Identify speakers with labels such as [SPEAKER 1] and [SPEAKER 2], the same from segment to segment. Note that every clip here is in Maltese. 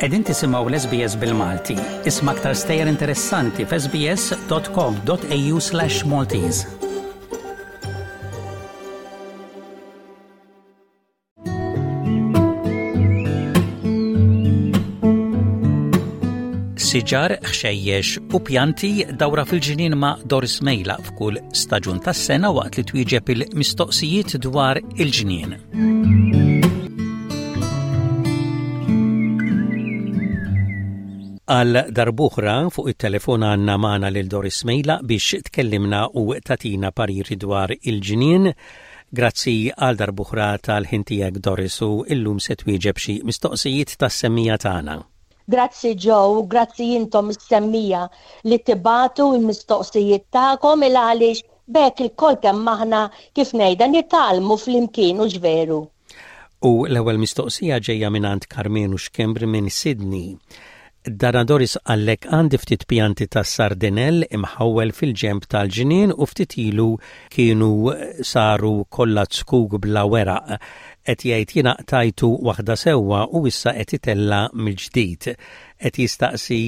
[SPEAKER 1] Qegħdin tisimgħu l-SBS bil-Malti. Isma' aktar stejjer interessanti f'sbs.com.au/Maltese. Siġar, ħxejjex u pjanti dawra fil-ġnien ma' Doris Mejla f'kull staġun tas-sena waqt li twieġeb il-mistoqsijiet dwar il-ġnien. Għal darb'oħra fuq it-telefon għandna magħna lil Doris Mejla biex tkellimna u tatina pariri dwar il-ġnien. Grazzi għal darb'oħra tal-ħin tiegħek Doris u illum se twieġeb xi mistoqsijiet tas-semmija tagħna.
[SPEAKER 2] Grazzi Joe u grazzi intom is-semmija li tibagħtu l-mistoqsijiet tagħkom il għaliex b'hekk ilkoll kemm aħna kif ngħidha nitgħallmu flimkien hux veru?
[SPEAKER 1] U l-ewwel mistoqsija ġejja mingħand Karmenu Schembri minn Sydney. Dana Doris qallek għandi ftit pjanti ta' sardinell imħawwel fil-ġenb tal-ġnien u ftit ilu kienu saru kollha zkuk bla weraq. Qed jgħid jiena qtajtu waħda sewwa u issa qed itella' mill-ġdid. Qed jistaqsi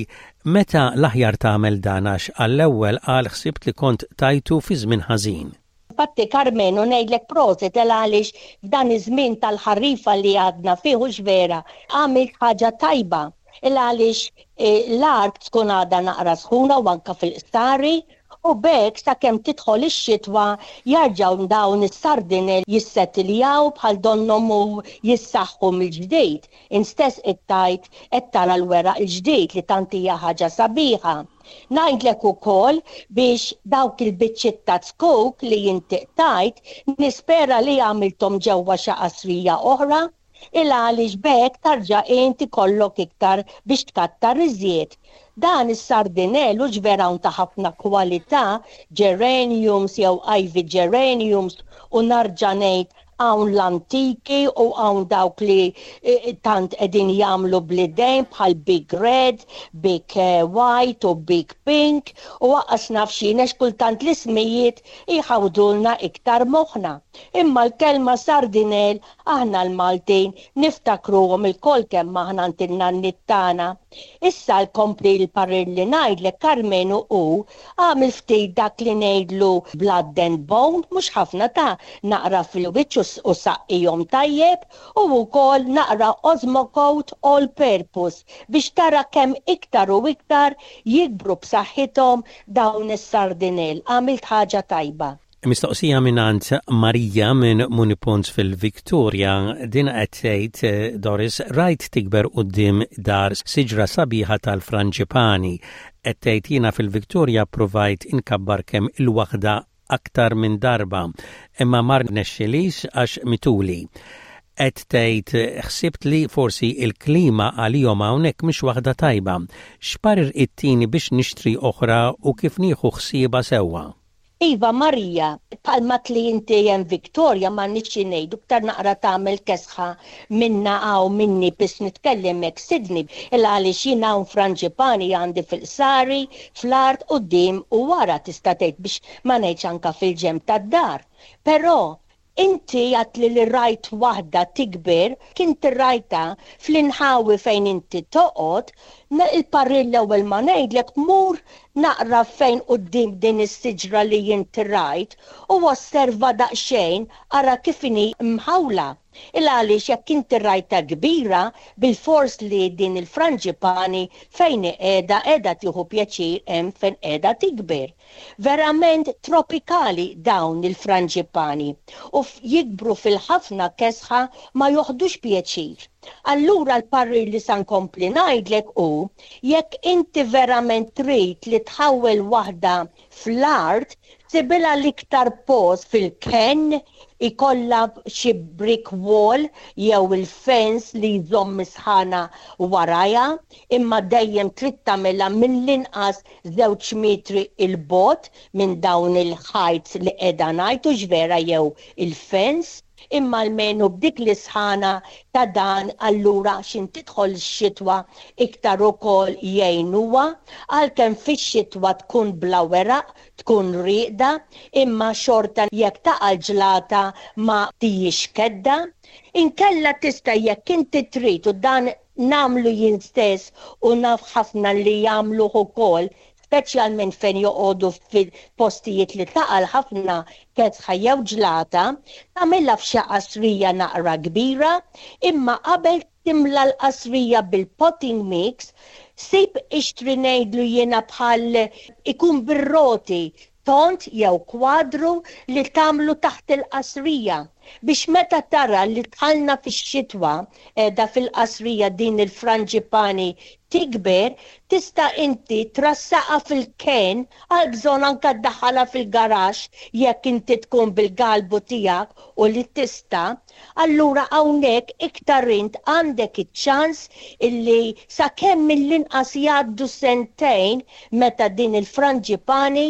[SPEAKER 1] meta l-aħjar tagħmel dan għax għall-ewwel qal ħsibt li kont tajtu fi żmien ħażin.
[SPEAKER 2] Infatti Karmenu ngħidlek prosit el għaliex f'dan iż-żmien tal-ħarifa li għadna fih hux vera għamilt ħaġa tajba il għaliex l-art tkun għadha naqra sħuna u anke fil-qsari u b'hekk sakemm tidħol ix-xitwa jarġgħu dawn is-sardinel jissetiljaw bħal donnhom u jissaħħu mill-ġdid. Int stess qed tgħid qed tara l-weraq il-ġdid li tant hija ħaġa sabiħa. Ngħidlek ukoll biex dawk il-biċċiet ta' zkuk li inti qtajt nispera li għamilthom ġewwa xi qasrija oħra, il-għaliex b'hekk tarġa' int ikollok iktar biex tkattar iżjed. Dan is-sardinell hux vera hawn ta' ħafna kwalità, geraniums jew ivy geraniums u narġa' ngħid Hawn l-antiki u hawn dawk li tant qegħdin jagħmlu bl-idejn bħal Big Red, Big White u Big Pink u aqqas naf x'jien għax kultant l-ismijiet jħawdulna iktar moħħna. Imma l-kelma sardinell aħna l-Maltin niftakruhom ilkoll kemm aħna għand in-nanniet tagħna. Issa l-kompli l-parir li ngħidlek Karmenu hu agħmel ftit dak li ngħidlu blood and bone, mhux ħafna ta' naqra fil-wiċċ u saqqihom tajjeb u wkoll naqra Osmocote all purpose biex tara kemm iktar u iktar jikbru b'saħħithom dawn is-sardinell. Għamilt ħaġa tajba.
[SPEAKER 1] Mistoqsija mingħand Marija minn Munipons fil-Victoria, din qed tgħid Doris, rajt tikber quddiem dar siġra sabiħa tal-franġipani. Qed tgħid jiena fil-Victoria ppruvajt inkabbar kemm il-waħda aktar minn darba, imma ma rnexxilix għax mituli. Qed tgħid ħsibt li forsi l-klima għalihom hawnhekk mhix waħda tajba. X'parir ittini biex nixtri oħra u kif nieħu ħsiebha sewwa?
[SPEAKER 2] Iva Marija, bħalma għedt li inti hemm Victoria m'għandniex xi ngħidu iktar naqra tagħmel kesħa minna hawn minni biss nitkellem hekk Sydney il għaliex jien hawn franġipani għandi fil-qsari, fl-art quddiem u wara tista' tgħid biex ma ngħidx anke fil-ġenb tad-dar. Però Inti għedtli li rajt waħda tikber, kint rajtha fl-inħawi fejn inti toqgħod, il-parir l-ewwel ma ngħidlek mur naqra fejn quddiem din is-siġra li inti rajt u osserva daqsxejn ara kif inhi mħawla. Il għaliex jekk inti rajtha kbira bilfors li din il-franġipani fejn hi qiegħda qiegħda tieħu pjaċir hemm fejn qiegħda tikber. Verament tropikali dawn il-franġipani u jikbru fil-ħafna kesħa ma joħdux pjaċir. Allura l-parir li sa nkompli ngħidlek hu jekk inti verament trid li tħawwel waħda fl-art sibilha l-iktar post fil-kenn ikollha xi brick wall jew il-fence li jżomm is-sħana warajha imma dejjem trid tagħmilha mill-inqas żewġ metri 'l bogħod minn dawn il-ħajt li qiegħda ngħid hux vera jew il-fence, imma almenu b'dik l-isħana ta' dan allura x'in tidħol x-xitwa iktar ukoll jgħinuha, għalkemm fix-xitwa tkun bla weraq, tkun rieqda, imma xorta jekk taqa' l-ġlata ma tijiex kedda. Inkella tista' jekk inti trid u dan. nagħmlu jien stess u naf ħafna li jagħmluh ukoll, speċjalment fejn joqogħdu fil-postijiet li taqal ħafna kesħa jew ġlata, tagħmilha f'xi qasrija naqra kbira, imma qabel timla l-qasrija bil-potting mix, sib ixtri ngħidlu jiena bħal ikun bir-roti, tond jew kwadru li tagħmlu taħt il-qasrija biex meta tara li dħalna fix-xitwa qiegħda fil-qasrija din il-franġipani tikber tista' inti trassaqha fil-kenn għal bżonn anke ddaħħalha fil-garaxx jekk inti tkun bil-galbu tiegħek u li tista', allura hawnhekk iktar int għandek iċ-ċans illi sakemm mill-inqas jgħaddu sentejn meta din il-franġipani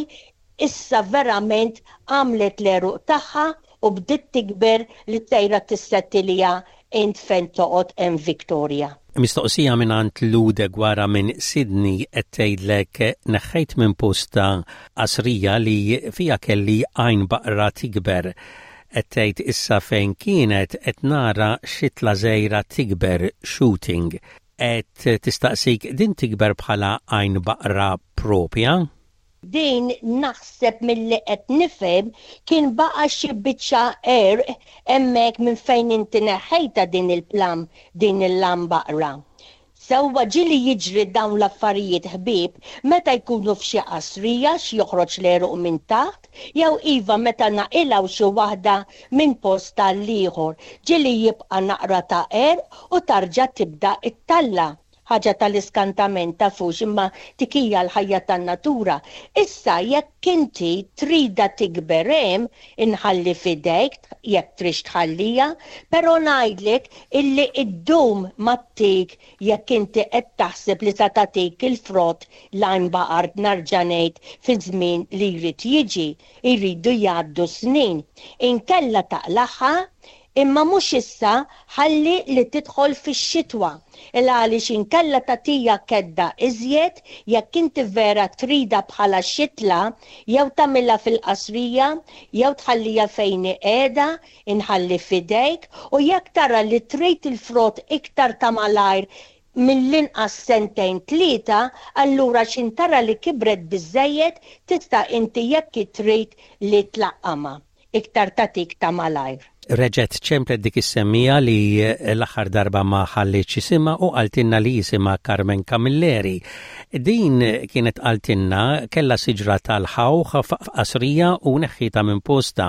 [SPEAKER 2] issa verament għamlet l-għeruq tagħha u bdiet tikber li sejra tissettilja int fejn toqgħod hemm Victoria.
[SPEAKER 1] Mistoqsija mingħand Lou Deguara minn Sydney qed tgħidlek neħħejt minn postha qasrija li fiha kelli għajn baqra tikber. Qed tgħid issa fejn kienet qed nara xitla żgħira tikber, shooting. Qed tistaqsik din tikber bħala għajn baqra propja?
[SPEAKER 2] Din naħseb milli qed nifhem kien baqa' xi biċċa għerq hemmhekk minn fejn inti neħħejtha din il-plam din il-lambaqra. Sewwa ġieli jiġri dawn l-affarijiet ħbieb meta jkunu f'xi qasrija x'joħroġ l-għeruq minn taħt jew iva meta naqilgħu xi waħda minn post għall-ieħor ġieli jibqa' naqra ta' għerq u tarġa' tibda ttalla'. Ħaġa tal-iskantament tafux imma dik hija l-ħajja tan-natura. Issa jekk inti tridha tikber hemm inħalli f'idejk jekk trix tħalliha, però ngħidlek illi ddum ma ttik jekk inti qed taħseb li sa tagħtik il-frott l-għajn baqart narġa' ngħid fiż-żmien li jrid jiġi. Jridu jgħaddu s-snin. Inkella taqlagħha Imma mhux issa, ħalli li tidħol fix-xitwa. Il-għaliex inkella tagħtija kedda iżjed jekk inti vera tridha bħala xitla jew tagħmilha fil-qasrija jew tħalliha fejn hi qiegħda, inħalli f'idejk, u jekk tara li trid il-frott iktar ta' malajr mill-inqas sentejn tlieta, allura x'in tara li kibret biżżejjed tista' inti jekk trid li tlaqqamha. Iktar tagħtik ta' malajr.
[SPEAKER 1] Reġgħet ċemplet dik is-semmiegħa li l-aħħar darba ma ħallietx isimha u qaltilna li jisimha Carmen Camilleri. Din kienet qaltilna kellha siġra tal-ħawħ f'qasrija u neħħietha minn postha.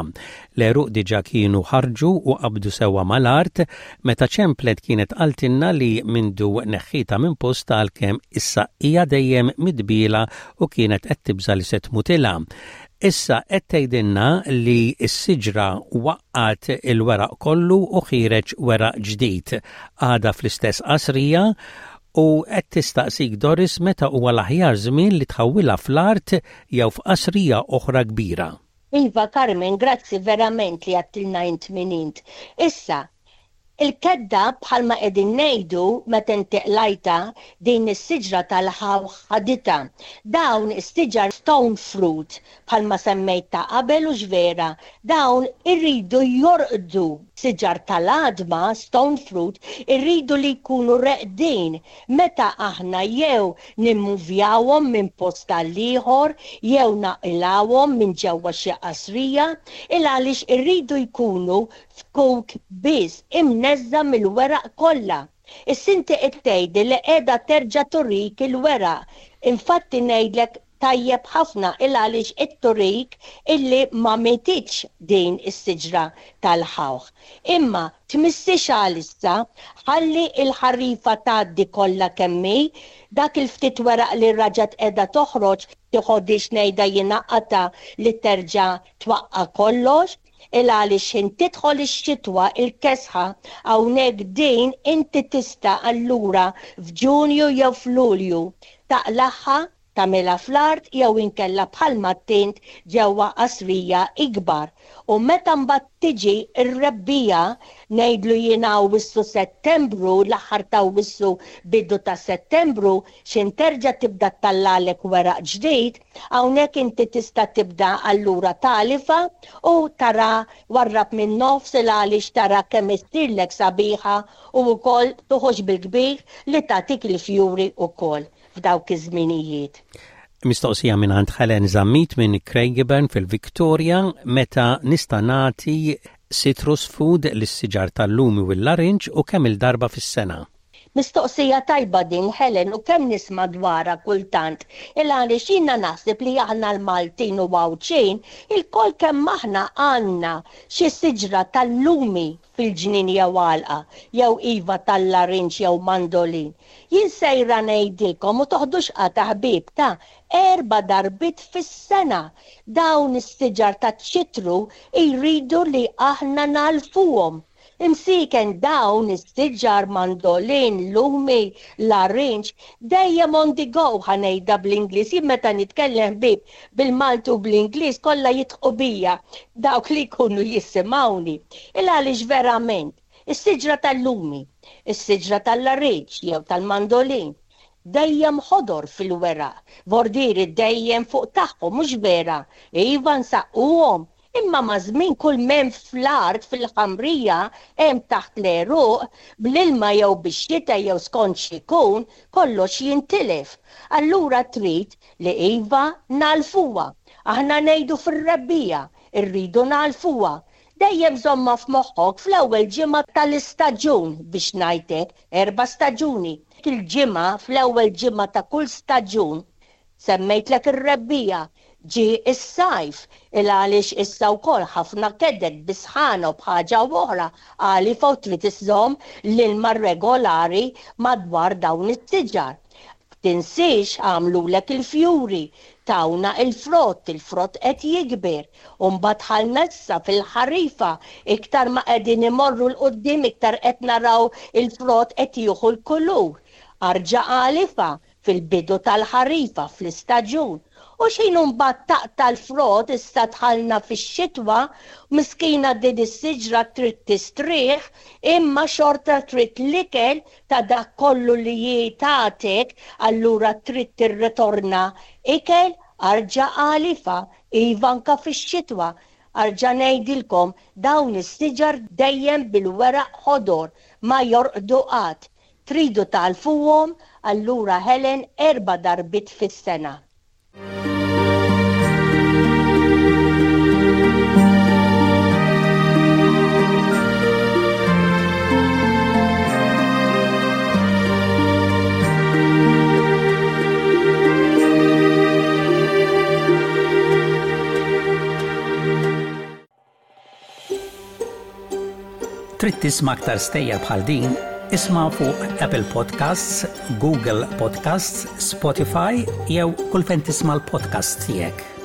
[SPEAKER 1] L-għeruq diġà kienu ħarġu u qabdu sewwa mal-art meta ċemplet kienet qaltilna li mindu neħħietha minn postha għalkemm issa hija dejjem midbiela u kienet qed tibża' li se tmutilha. Issa qed tgħidilna li s-siġra waqqgħet il-weraq kollu u ħiereġ weraq ġdid. Għadha fl-istess qasrija u qed tistaqsik Doris meta huwa l-aħjar żmien li tħawwilha fl-art jew f'qasrija oħra kbira.
[SPEAKER 2] Iva Carmen, grazzi verament li għedtilna int min int. Issa, Il-kedda bħalma qegħdin ngħidu meta inti qlajtha din is-siġra tal-ħawħ ħaditha. Dawn is-siġar stone fruit bħalma semmejt ta' qabel hux vera, dawn iridu jorqdu. Siġar tal-għadma, stone fruit, irridu li jkunu reqdin meta aħna jew nimmuvjawhom minn post għall-ieħor jew naqilgħuhom minn ġewwa xi qasrija, il-għaliex irridu jkunu Fkuk biss imneżża' mill-weraq kollha. Issa inti qed tgħidli li qiegħda terġa' turik il-weraq. Infatti ngħidlek tajjeb ħafna il-għaliex qed turik illi ma mititx din is-siġra tal-ħawħ. Imma tmissiex għalissa, ħalli l-ħarifa tgħaddi kollha kemm hi, dak il-ftit weraq li raġgħet qiegħda toħroġ tiħodhiex ngħidha jiena qatgħa li terġa' twaqqa' kollox. Il għaliex x'ħin tidħol ix-xitwa il-kesħa hawnhekk din inti tista' allura f'Ġunju jew f'Lulju taqlagħha. Tagħmilha fl-art jew inkella bħalma għedt int ġewwa qasrija ikbar. U meta mbagħad tiġi r-rebbiegħa, ngħidlu jien Awwissu Settembru, l-aħħar ta' Awwissu bidu ta' Settembru, x'in terġa' tibda ttallagħlek weraq ġdid, hawnhekk inti tista' tibda allura tagħlifha u tara warrab min-nofs il għaliex tara kemm issirlek sabiħa u wkoll toħroġ bil-kbir li tagħtik il-fjuri wkoll. f'dawk iż-żminijiet.
[SPEAKER 1] Mistoqsija mingħand Helen Zammit minn Craigieburn fil-Victoria, meta nista' nagħti citrus food lis-siġar tal-lumi u l-larinġ u kemm-il darba fis-sena?
[SPEAKER 2] Mistoqsija tajba din Helen u kemm nisma' dwarha kultant il għaliex jiena naħseb li aħna l-Maltin u Għawdxin ilkoll kemm aħna għandna xi siġra tal-lumi fil-ġnien jew għalqa, jew iva tal-larinġ jew mandolin. Jien sejra ngħidilkom u toħdux qatgħa ħbieb ta' erba' darbiet fis-sena dawn is-siġar taċ-ċitru jridu li aħna nagħlfuhom. Imsieken dawn is-siġar mandolin, lumi, larinġ, dejjem on the go ħa ngħidha bl-Ingliż, jien meta nitkellem ħbieb bil-Malti u bl-Ingliż kollha jidħqu bija dawk li jkunu jisimgħuni. Il għaliex verament is-siġra tal-lumi, is-siġra tal-larinġ jew tal-mandolin dejjem ħodor fil-weraq, vordieri dejjem fuq tagħhom, mhux vera? Iva nsaqquhom, imma maż-żmien kull m'hemm fl-art fil-ħamrija hemm taħt l-għeruq, bl-ilma jew bix-xita jew skont x'ikun, kollox jintilef. Allura trid li iva nagħlfuha. Aħna ngħidu fir-rebbiegħa, irridu nagħlfuha. Dejjem żommha f'moħħok fl-ewwel ġimgħa tal-istaġun, biex ngħid hekk, erba' staġuni. Il-ġimgħa, fl-ewwel ġimgħa ta' kull staġun, semmejtlek ir-rebbiegħa, ġie s-sajf, il għaliex issa wkoll ħafna keded bi sħana u b'ħaġa u oħra, għalifa u trid iżżomm l-ilma regolari madwar dawn is-siġar. Tinsiex għamlulek il-fjuri, tawna il-frott, il-frott qed jikber. U mbagħad dħalna issa fil-ħarifa, iktar ma qegħdin imorru 'l quddiem iktar qed naraw il-frott qed jieħu l-kulur. Arġa' għalifa fil-bidu tal-ħarifa, fl-istaġun. U x'ħin mbagħad taqta' l-frott issa dħalna fix-xitwa, miskina din is-siġra trid tistrieħ imma xorta trid l-ikel ta' dak kollu li hi tatek allura trid tirritorna ikel arġa' għalifa iva anka fix-xitwa arġa' ngħidilkom dawn is-siġar dejjem bil-weraq ħodor ma jorqdu qatt tridu tagħlfuhom allura Helen erba' darbiet fis-sena.
[SPEAKER 1] Trid tisma' aktar stejjer bħal din? Isma' fuq Apple Podcasts, Google Podcasts, Spotify jew kull fejn tisma' l-podcasts tiegħek.